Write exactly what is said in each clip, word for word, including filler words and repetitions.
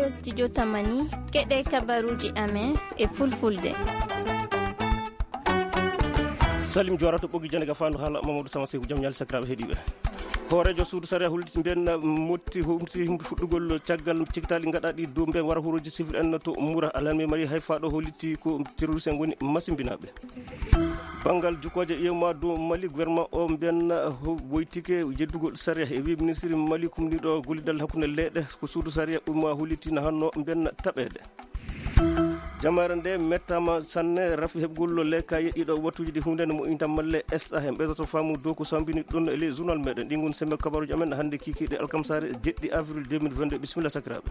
Studio Tamani, keɗe kabaruuji amen e fulfulde. Salim Joora to ɓoggi jannde ga faandu haala Mamadou Sama Seku, jam ñaali sakiraaɓe heɗiiɓe. Hooreejo suudu sariya holliti mbiyen motti humti humti fuɗɗugol caggal cikitaali gaɗaaɗi dow mbiyen wara huuroji civil en to Mura. Alarme mari hay faaɗo holliti ko terroriste en ngoni masimbinaaɓe. Banngal jukkooje ƴeewma dow Mali, gouvernement o mbiyen ho-, woytike jeddugol sariya. E wii ministre Mali kumniiɗo gollidal hakkunde leyɗe ko suudu sariya umma holliti na hanno mbiyen taɓeede. Jamaare nde mettaama sanne rafi heɓgol lekkaye ɗiɗo wattuuji ɗi huunde ne moƴƴinta malle S A. En ɓeydoto faamu dow ko sambini ɗum e ley journal meɗen. Ɗi ngon sembe kabaruuji amen hannde kiikiiɗe alkamsaare jeɗɗi avril deux mille vingt-deux. Bisimilla sakiraaɓe.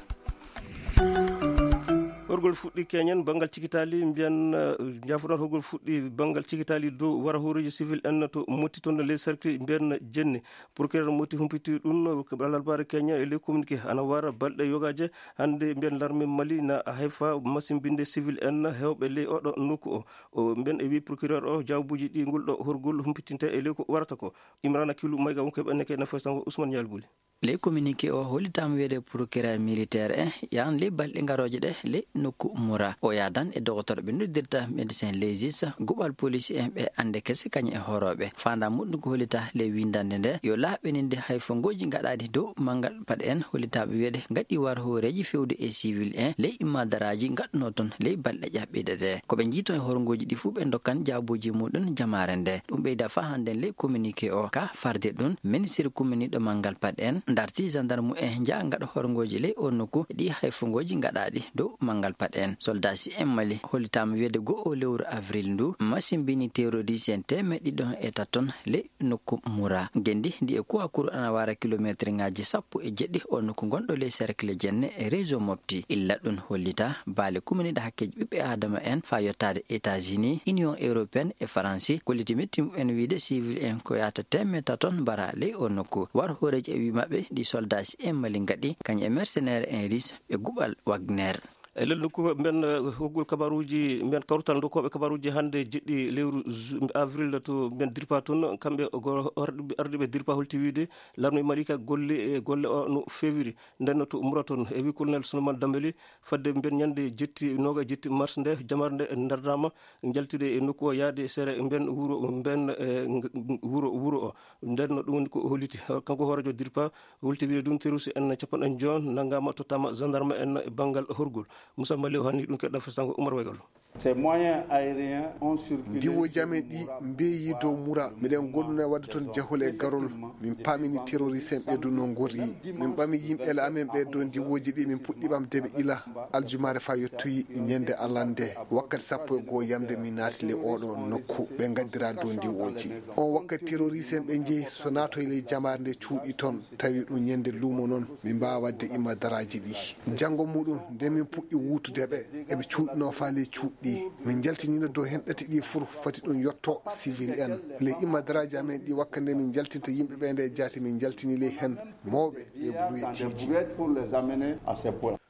Horgol fuɗɗi keñen banngal cikitaali mbiyan, eh, njaafuɗon horgol fuɗɗi banngal cikitaali dow wara hooreeji civil en to motti toon ley cercle mbiyan jenni. Procureur motti humpiti ɗum, eh, alarbaare keñen e ley communiqué ana wara balɗe yogaaje hannde mbiyan larme Mali na hayfa masimbinde civil en heewɓe ley oɗo nokku o. O mbiyan e wi procureur o jaabuuji ɗi ngol ɗo horgol humpitinte e ley ko warata ko. Imrana Kilu Mayga wonko e ɓenne kay na fay sango Ousmane Ñaal Buli. Ley communiqué o hollitaama wiyeede procureur militaire en yahan ley balɗe garooje ɗe ley nokku Mura. O yaadan e dogotorɓe noddirta médecin légiste, guɓal police en ɓe annde kese kañum e horooɓe. Faandaa muɗum ko hollita ley winndannde nde yo laaɓininde hay fongooji gaɗaaɗi dow manngal paɗe en hollitaaɓe wiyeede gaɗi war hooreeji fewde e civil en ley immadaraaji gaɗunoo toon ley balɗe ƴaɓɓiiɗe ɗe. Ko ɓe njiitoo e horngooji ɗi fuu ɓe ndokkan jaabuuji muɗum jamaare nde. Ɗum ɓeyda faa hannden ley communiqué o ka farde ɗum, ministre kuminiiɗo manngal paɗe en darti gendarme en njaha ngaɗa horngooji ley o nokku ɗi hay fongooji gaɗaaɗi dow manngal paɗe en. Soldaaji en Mali hollitaama wiyeede goo o lewru avril ndu masimbini terroriste en teemeɗɗe ɗiɗi e tato ley nokku Mura. Ngenndi ndi e Kouakourou ana wara kilomeeterŋaaji sappo e jeɗɗi o nokku ngonɗo ley cercle jenne e réseau Mopti. Illa ɗum hollita baale kuminiiɗe hakkeeji ɓiɓɓe aadama en faa yottaade États-Unis, Union européenne e Faransi kolliti metti mumen wiide civil en ko yaata teemeɗɗe tato mbara ley o nokku. War hooreeji e wii maɓɓe ɗi soldaaji en Mali ngaɗi kañum e mercenaire en russe ɓe guɓal Wagner. E lel nokku mben, eh, hoggol kabaruuji mben, kawtal dokkooɓe kabaruuji hannde jeɗɗi lewru ju-, avril to mben Dirpa toon, kamɓe ko ardiiɓe, ardiiɓe Dirpa holti wiide larme Mali ka golle, e golle o no feewiri. Nden no to Mura toon, e wi Colonel Souleymane Dambéli, fadde mben ñande jetti, nooga jetti mars nde, jamaare nde ndardaama, njaltide e nokku o yaade sere mben wuro, mben, eh, ng-, wuro, wuro o. Nden no ɗum woni ko o holliti. Kanko hooreejo Dirpa, wulti wiide ɗum, terroriste en capanɗe joy nanngaama, tottaama gendarme en e banngal horgol. Moussa Mali o hannii ɗum, keɗɗa fesango Oumar Waygal. Ces moyens aériens ont circulé. Ndiwooji amen ɗi mbeeyi dow Mura. Miɗen gollunoo e waɗde toon jahol e garol. Min paamini terroriste en ɓe dow no ngorri. Min ɓami yimɓe la amen ɓe dow ndiwooji ɗi, min puɗɗi ɓamde ɓe ila aljumaare faa yettoyi ñande alarba nde. Wakkati sappo e goo yamde min naati ley oɗo nokku. Ɓe ngaddiraa dow ndiwooji. On wakkati terroriste en ɓe njehi so naatoyi ley jamaare nde cuuɗi toon. Tawi ɗum ñande luumo noon, min mbaawaa waɗde imma daraaji ɗi. Janngo muɗum, nde min puɗɗi wuutude ɓe, eɓe cuuɗinoo faa ley cuuɗi ɗi. Min njaltiniino dow heen ɗati ɗi fur, foti ɗum yotto civil en. Ley imma daraaji amen ɗi, wakka nde min njaltinta yimɓe ɓe nde jaati, min njaltini ley heen mawɓe e bruyeteeji.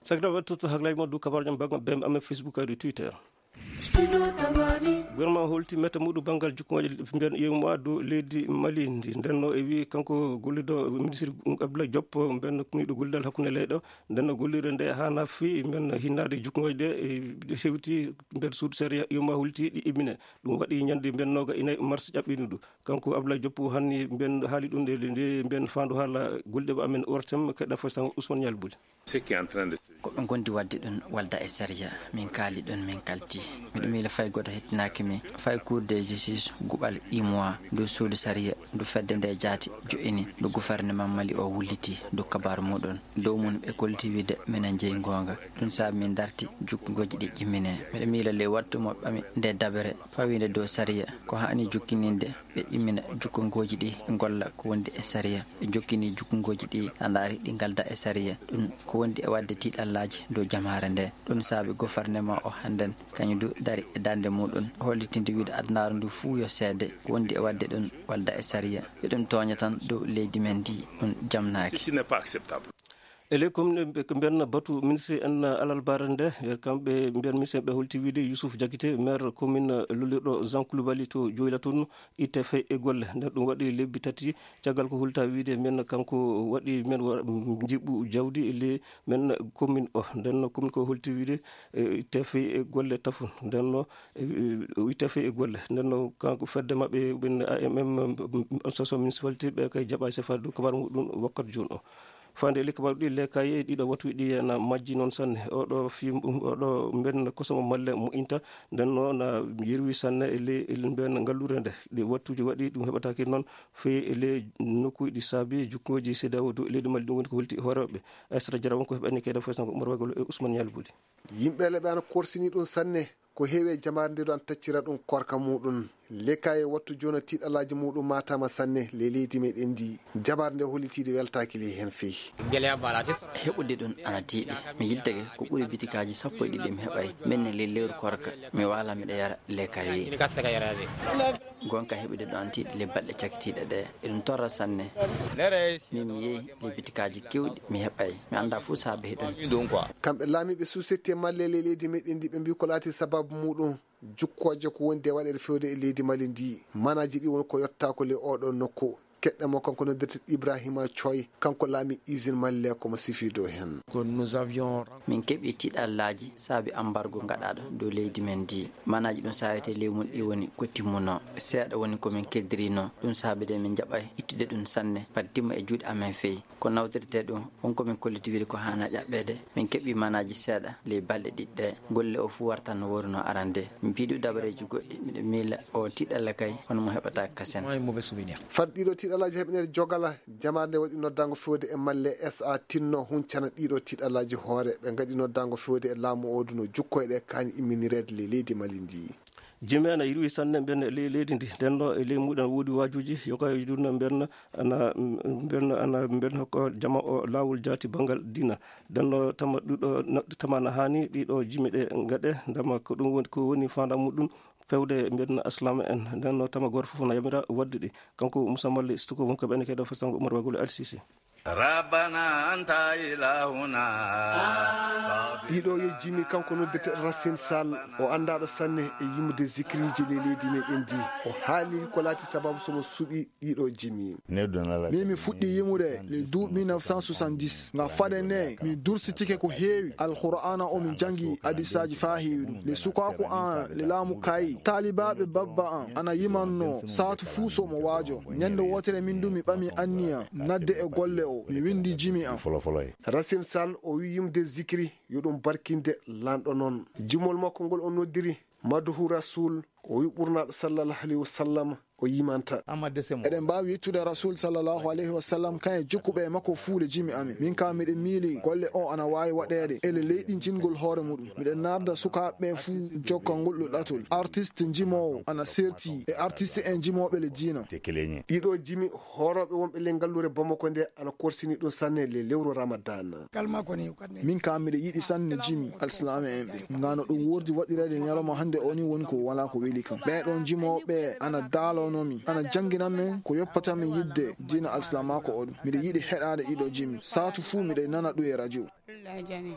Sakiraaɓe, tutto haklaaji mon dow kabaaruuji am banngal bembe amen Facebook e Twitter. Gouvernement holti metta muɗum banngal jukkuŋaaji mbiyan yeewu ma dow leydi Mali ndi. Nden no e wii kanko gollido ministre Abdoulaye Diop, mben kumniiɗo gollidal hakkunde leyɗe. Nden no gollirde nde haana fii mben hinnaade jukkuŋaaji ɗe, e, ɗe hewti mben suudu sariya yeewu ma holti ɗi immine. Ɗum waɗi ñande mben nooga e nayi mars ƴaɓɓiino ɗum. Kanko Abdoulaye Diop hanni mben haali ɗum nde, nde mben faandu haala golliɗo amen O R T M, keɗɗa fof tan Ousmane Nial Bouly. Ko ɓe ngondi waɗde ɗum walda e sariya. Min kaali ɗum, min kalti. Miɗo miila fay gooto hettinaaki mi. Fay Cour de justice, guɓal, imwa, ndu suudu sariya, ndu fedde nde jaati, jo'ini, ndu gouvernement Mali o wulliti, ndu kabaaru muɗum. Dow mum ɓe kolliti wiide minen jeyi ngoonga. Ɗum saabi min darti, jukkungooji ɗi ƴimmine. Miɗo miila ley wattu mo ɓami nde dabere, fawiinde dow sariya, ko haani jukkininde. Ɓe immina jukkungooji ɗi, ngolla ko wondi e sariya. Ɓe jokkini jukkungooji ɗi, a ndaari ɗi ngalda e sariya. Ɗum ko wondi e waɗde tiiɗallaaji dow jamaare nde. Ɗum saabi gofarnema o hannden, kañum du dari e darnde muɗum, hollitinde wiide adunaaru ndu fuu yo seede ko wondi e waɗde ɗum walda e sariya. Yo ɗum tooña tan dow leydi men ndi, ɗum jamnaaki. Ceci n'est pas acceptable. E ley commune ɓe, ko mbiyan batu ministre en alarba nde, kamɓe mbiyan ministre ɓe holti wiide Youssouf Diakité, maire commune lollirɗo Jean Koulibaly to Dioula toon, itte fay e golle. Nden ɗum waɗi lebbi tati caggal ko holta wiide men kanko waɗi men wa-, njiɓɓu jawdi e ley men commune o. Nden no commune ko holti wiide, e, itte fay e golle tafu. Nden no, e, e, o itte fay e golle. Nden no kanko fedde maɓɓe, ɓen A M M, association municipalité, ɓe kay jaɓa sefade dow kabaru muɗum wakkati jooni o. Faande e ley kabaaru ɗi, lekkaaye ɗiɗo wattuuji ɗi ena majji noon sanne. Oɗo fii, oɗo mben kosomo malle moƴƴinta, nden noon na yerwi sanne e ley, e ley mben ngalluure nde. Ɗi wattuuji waɗi ɗum heɓataake noon, fii e ley nokkuuji ɗi saabi jukkooji C E D E A O dow e leydi Mali, ɗum woni ko holti hooreeɓe. Aysata Jara won ko heɓani kayda foy sanko Umar Wagolo e Ousmane Ñaali Buli. Yimɓe le ɓe ana korsini ɗum sanne. Ko heewi e jamaare nde ɗo ana taccira ɗum korka muɗum. Lekkaaye wattu jooni tiiɗalaaji muɗum maataama sanne ley leydi meɗen ndi. Jamaare nde hollitiide weltaaki ley heen fey. Heɓude ɗum ana tiiɗi. Mi yiltake ko ɓuri bitikaaji sappo e ɗiɗi mi heɓay. Min ne ley lewru korka. Mi waala miɗa yara lekkaaye. Gonka heɓude ɗum ana tiiɗi ley balɗe cakitiiɗe ɗe. Eɗum torra sanne. Min mi yehi ley bitikaaji kewɗi mi heɓay. Mi annda fuu saabe heɗum. Kamɓe laamiiɓe suusette malle ley leydi meɗen ndi ɓe mbii ko laati sababu muɗum. Jukkooje ko woni de waɗeede fewde e leydi Mali ndi. Manaaji ɗi woni ko yottaako ley oɗo nokku. Keɗɗe mo kanko noddirte Ibrahima Coy, kanko laami usine Mali le ko mo sifi dow heen. Min keɓi tiiɗallaaji saabi ambargo gaɗaaɗo dow leydi men ndi. Manaaji ɗum saawete ley mum ɗi woni ko timmunoo. Seeɗa woni ko min keddirinoo. Ɗum saabi de min jaɓay ittude ɗum sanne, fade timma e juuɗe amen fey. Ko nawtirtee ɗum, won ko min kolliti wiide ko haana ƴaɓɓeede. Min keɓii manaaji seeɗa ley balɗe ɗiɗi ɗe. Golle o fuu warta no woorunoo arande. Min piiɗi dabareeji goɗɗi, miɗo miila o tiiɗalla kay, hono mo heɓataake kasen. Fad ɗiɗo tiiɗallaaji heɓineede jogala, jamaare nde waɗi noddaango fewde e malle S A tinno huncana ɗiɗo tiiɗallaaji hoore. Ɓe ngaɗi noddaango fewde e laamu o duno jukkoyɗe kaani imminireede ley leydi Mali ndi. Jimi ana yirwi sanne mbiyan e ley leydi ndi. Nden no e ley muɗum woodi waajuuji, yoga e juulde mbiyan ana, mbiyan ana, mbiyan hokka jama o laawol jaati banngal diina. Nden no tama ɗuɗo, na-, tama na haani ɗiɗo jimi ɗe ngaɗe, ndema ko ɗum woni, ko woni faandaare muɗum fewde mbiyan aslama en. Nden no tama gooto fof na yamira waɗde ɗi. Kanko Moussa Malle Stuko won ko ɓen kayda fasango Umar Wagolo Al Sisi. Rabbana anta ilahuna. Ɗiɗo yo jimi kanko noddete Racine Sall, o anndaaɗo sanne e yimde zikriiji ley leydi meɗen ndi. O haali ko laati sababu so mo suɓi ɗiɗo jimi. Min mi fuɗɗi yimude le duuɓi mille neuf cent soixante-dix. Nga fade ne, mi dursitike ko heewi. Alqur'aana o mi janngi hadisaaji faa heewi ɗum. Le sukaaku an, le laamu kayi. Taalibaaɓe babba an, ana yimanno, saatu fuu so mo waajo. Ñande wootere min du mi ɓami anniya, nadde e golle o, mi winndi jimi am. Racine Sall, o wi yimde zikri, yo ɗum barkinde lanɗo non. Jimol makko ngol o noddiri, Maduhu Rasul, o wi ɓurnaaɗo sallallahu alayhi wa sallam, o yimanta. Eɗen mbaawi yettude Rasul sallallahu alayhi wa sallam, kañe jokkuɓe e makko fuu le jimi amen. Min kaa miɗen miili golle o ana waawi waɗeede ele leyɗintingol hoore muɗum. Miɗen narda sukaaɓe ɓe fuu jokkangol ɗo ɗatol. Artiste njimoowo ana serti e artiste en njimooɓe le diina. Ɗiɗo jimi hoorooɓe wonɓe le ngalluure Bamako nde ana korsini ɗum sanne le lewru Ramadan. Min kaa miɗo yiɗi sanne jimi alsilaame en ɓe. Ngaa no ɗum woordi waɗireede ñalawma hannde o ni woni ko walaa ko weli kam. Ɓee ɗoo jimooɓe ana daalano mi, ana janngina men ko yoppata min yiɗde diina alsilaamaaku o ɗum. Miɗo yiɗi heɗaade ɗiɗo jimi. Saatu fuu miɗo nana ɗum e radio.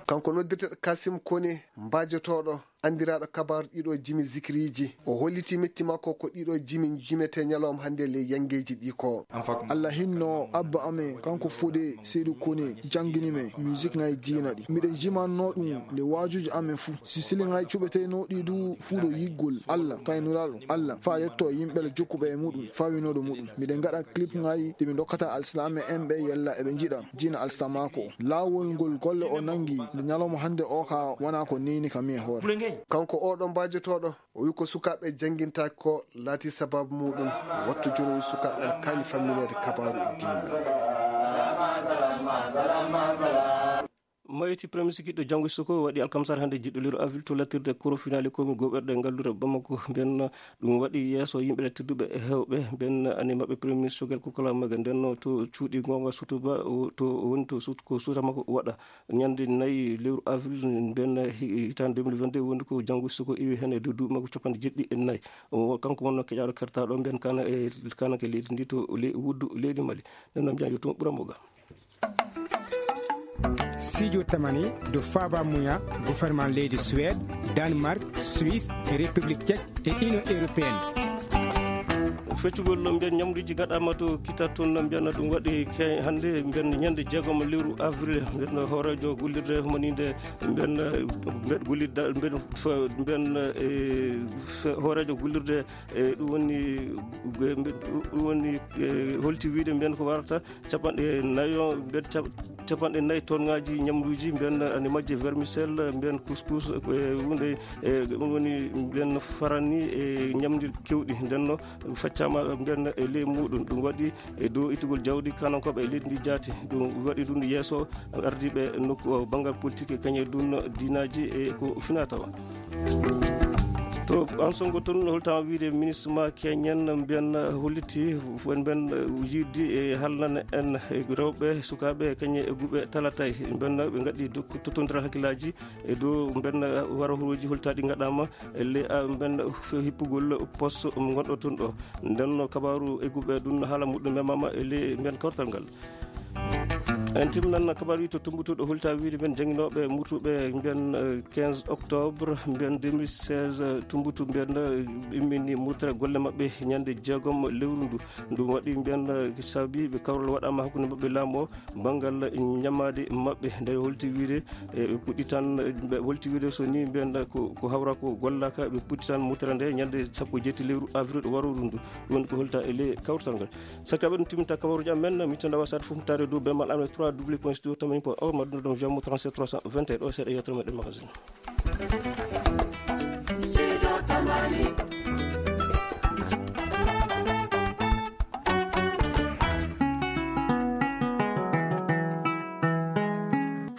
Kanko noddirteeɗo Kasim Kone, mbaajotooɗo, anndiraaɗo kabaaru ɗiɗo jimi zikiriiji. O holliti metti makko ko ɗiɗo jimi jimetee ñalawma hannde ley yanngeeji ɗi ko. Alla hinno abba amen, kanko Fode Seydu Kone, janngini men musique ŋaaji diina ɗi. Miɗen jimannoo ɗum le waajuuji amen fuu. Si siliŋaaji cuɓeteenooɗi du fuu ɗo yiggol Alla, kay Nulaaɗo Alla, faa yottoo yimɓe le jokkuɓe e muɗum, faa winooɗo muɗum. Miɗen ngaɗa clip ŋaaji ɗi min ndokkata alsilaame en ɓe yalla eɓe njiɗa diina alsilaamaaku o. Laawol ngol golle o nanngi nde ñalawma hannde o kaa wanaa ko neeni kam e hoore. Kanko oo ɗoo mbaajotooɗo, o wi ko sukaaɓe janngintaake ko laati sabaabu muɗum. Wattu jooni o wi sukaaɓe ana kaani fammineede kabaaru diina. Mayti Premier Ministre giɗɗo janngo suko waɗi alkamsar hannde jiɗɗo lewru avril to lattirde koro finaali komi goɓerɗe ngalluure Bamako. Mben ɗum waɗi yeeso yimɓe lattirduɓe e heewɓe. Mben ani maɓɓe Premier Ministre Choguel Kokolaga Maïga ndenno to cuuɗi goonga sutuba o, to woni to sut-, ko suuta makko waɗa. Ñande nayi lewru avril mben hi-, hitaande deux mille vingt-deux woni ko janngo suko iwi heen e dow duuɓi makko capanɗe jeeɗiɗi e nayi. O, kanko wonno keƴaaɗo kertaaɗo mben kana e, kana ke leydi ndi to le-, wuddu leydi Mali. Nden noon mbiyan yo tuma ɓura mo ga. Siijo tamani dow faaba muya goferman leydi Suwed, Danmark, Suwis, e Repiblik Cek e Inion Europeen. Feccugol mbiyen ñamduuji gaɗaama to kitta toon, mbiyen ɗum waɗi ke-, hannde mbiyen ñande jeegom lewru avril, mbiyen hooreejo gollirde moniinde mbiyen, mbiyen gollirde mbiyen fa-, mbiyen, e, fe-, hooreejo gollirde, e, ɗum woni, ɗum woni, e, holti wiide mbiyen ko warata capanɗe nayo, mbiyen cap-, capanɗe nayi tonŋaaji ñamduuji, mbiyen ane majje vermicelle, mbiyen couscous, e huunde, e ɗum woni mbiyen farani e ñamduuji keewɗi. Nden no faccaama mbiyen e ley muuɗum. Ɗum waɗi e dow ittugol jawdi kanankooɓe e leydi ndi jaati. Ɗum waɗi ɗum yeeso ardiiɓe nokku o, banngal politik e kañe ɗum diinaaji e ko finaa tawa. To Ansongo toon, holtaama wiide ministre ma keñen mbiyen holliti, fof en mbiyen yiɗde e haalnana en e rewɓe, sukaaɓe, kañe e guɓe talatay. Mbiyen ɓe ngaɗi dok-, tottondiral hakkillaaji e dow mbiyen warahorooji holtaaɗi ngaɗaama e le-, a, mbiyen fe-, hippugol poste ngonɗo toon ɗo. Nden no kabaaru e guɓe ɗum haala muɗum memaama e le-, mbiyen kawtal ngal. En timminan kabaaru wi to Tumbuttu ɗo holta wiide mbiyen jannginooɓe murtuɓe mbiyen, eh, quinze octobre mbiyen deux mille seize, eh, Tumbuttu mbiyen, eh, immini murtere golle maɓɓe ñande jeegom lewru ndu. Ɗum waɗi mbiyen, eh, sabi ɓe kawral waɗaama hakkunde maɓɓe laamu o, banngal ñamaade maɓɓe. Nde holti wiide, eh, ɓe puɗɗi tan, eh, ɓe holti wiide so ni mbiyen ko, ko hawra ko gollaka, ɓe puɗɗi tan murtere nde ñande sappo e jetti lewru avril ɗo warooru ndu. Ɗum woni ko holta e ley kawtal ngal. Sakiraaɓe, ɗum timminta kabaruuji amen. Min tan ndawa saare fof taare dow bemal amen trois w point studio tamani point org, ma ɗum ɗon Viamo trente-sept trois cent vingt et un, ɗo seeɗa yewtere meɗen magazine.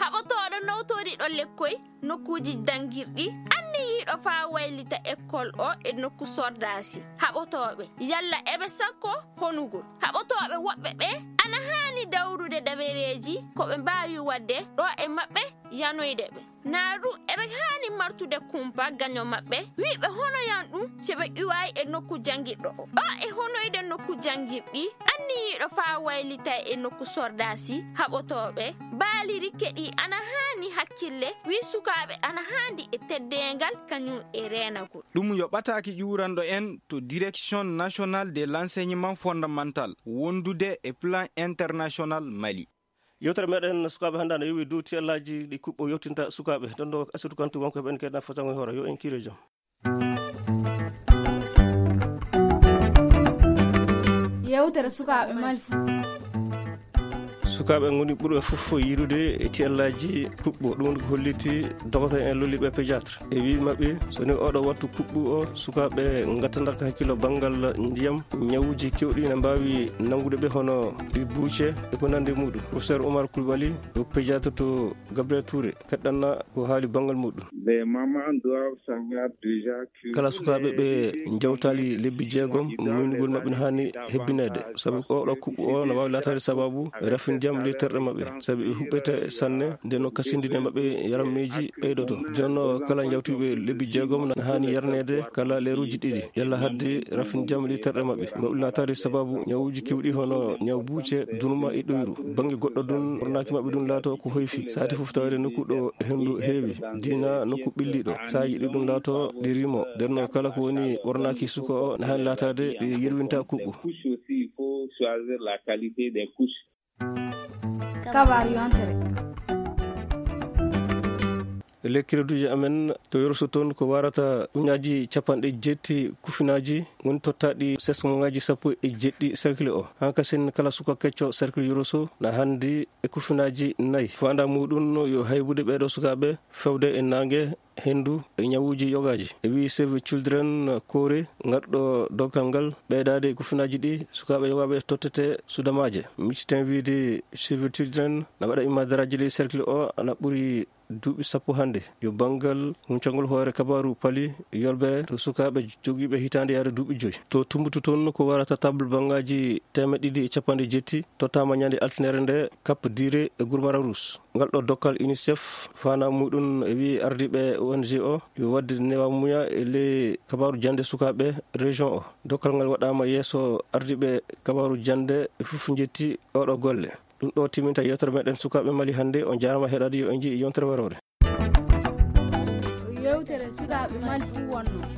Haɓotooɗo nowtoriiɗo lekkoy nokkuuji janngirɗi, anniyiiɗo faa waylita ekkol o e nokku sordaasi haɓotooɓe, yalla eɓe sakko honugol. Haɓotooɓe woɓɓe ɓee ana haani dawrude dabareeji ko ɓe mbaawi waɗde ɗo e maɓɓe yanoyde ɓe. Naa ɗum eɓe haani martude kumpa gaño maɓɓe, wii ɓe honoyan ɗum si ɓe iwaay e nokku janngirɗo o. Ɗo e honoyde nokku janngirɗi, anniyiiɗo faa waylitay e nokku sordaasi haɓotooɓe, baaliri keɗii ana haani hakkille, wii sukaaɓe ana haandi e teddeengal kañum e reenagol. Ɗum yo ɓataake ƴuuranɗo en to Direction Nationale de l'Enseignement Fondamental wondude e Plan International Mali. Yewtere meɗen sukaaɓe hannde ana yowi dow tiyallaaji ɗi kuɓɓo yewtinta sukaaɓe. Ɗon ɗo Asitu Kantu wonko heɓen keɗan fotango e hoore. Yo en kiire jam. Yewtere sukaaɓe Mali. Sukaaɓe ngoni ɓurɓe fof yiidude e tiyallaaji kuɓɓo. Ɗum woni ko holliti doktor en lolliiɓe pédiatre. E wii maɓɓe, so ni oɗo wattu kuɓɓu o, sukaaɓe ngattanata hakkillo banngal ndiyam, ñawuuji keewɗi ina mbaawi nanngude ɓe, hono ɗi buuce e ko nanndi e muɗum. Professeur Oumar Coulibaly, ko pédiatre to Gabriel Touré, keɗɗanna ko haali banngal muɗum. Les mamans doivent savoir déjà que kala sukaaɓe ɓe njawtaali lebbi jeegom, muynugol maɓɓe no haani hebbineede. Sabi oɗo kuɓɓu o no waawi laataade sabaabu rafin ndiyam ley terɗe maɓɓe. Sabi ɓe huɓɓete sanne, nden no kasindine maɓɓe yarammeeji ɓeydoto. Jooni no kala njawtuɓe lebbi jeegom no haani yarneede kala leeruuji ɗiɗi. Yalla haddi rafin ndiyam ley terɗe maɓɓe. Maɓɓe laataade sabaabu ñawuuji keewɗi hono ñaw buuce, dunuma e ɗoyru. Bannge goɗɗo ɗum, ɓornaaki maɓɓe ɗum laato ko hoyfi. Saati fof taweede nokku ɗo henndu heewi, diina nokku ɓilliiɗo. Saaji ɗi ɗum laato ɗi rimo. Nden no kala ko woni ɓornaaki suka o, na haani laataade ɗi yerwinta kuɓɓu. Couche aussi, il faut choisir la qualité des couches. Kabaaru yontere. Ley kireduuji amen to Yoroso toon, ko warata ujunnaaji capanɗe jeetti kufinaaji woni tottaaɗi sesmoŋaaji sappo e jeeɗiɗi cercle o. Hankasin kala suka kecco cercle Yoroso na haandi e kufinaaji nayi. Faandaa muuɗum yo haybude ɓeeɗo sukaaɓe fewde e naange, henndu e ñawuuji yogaaji. E wii Save Children Koore, ngarɗo dokkal ngal, ɓeydaade e kufinaaji ɗi sukaaɓe yogaaɓe tottete sudamaaje. Miccitin wiide Save Children na waɗa imadaraaji ley cercle o ana ɓuri duuɓi sappo hannde. Yo banngal huncangol hoore kabaaru pali yolbere to sukaaɓe jogiiɓe hitaande yaade duuɓi joy. To Tumbuttu toon ko warata table bangaaji teemeɗɗe ɗiɗi e capanɗe jeetti tottaama ñande altine nde Cap Dure e Gourmara Rousse. Ngal ɗo dokkal UNICEF faandaa muuɗum e wii ardiiɓe O N G o yo waɗde newamuya e ley kabaaru jannde sukaaɓe région o. Dokkal ngal waɗaama yeeso ardiiɓe kabaaru jannde e fof njetti oɗo golle. Ɗum ɗo timminta yewtere meɗen sukaaɓe Mali hannde. On jaaraama heɗaade, yo en njii yontere waroore. Yewtere sukaaɓe Mali ɗum wonno.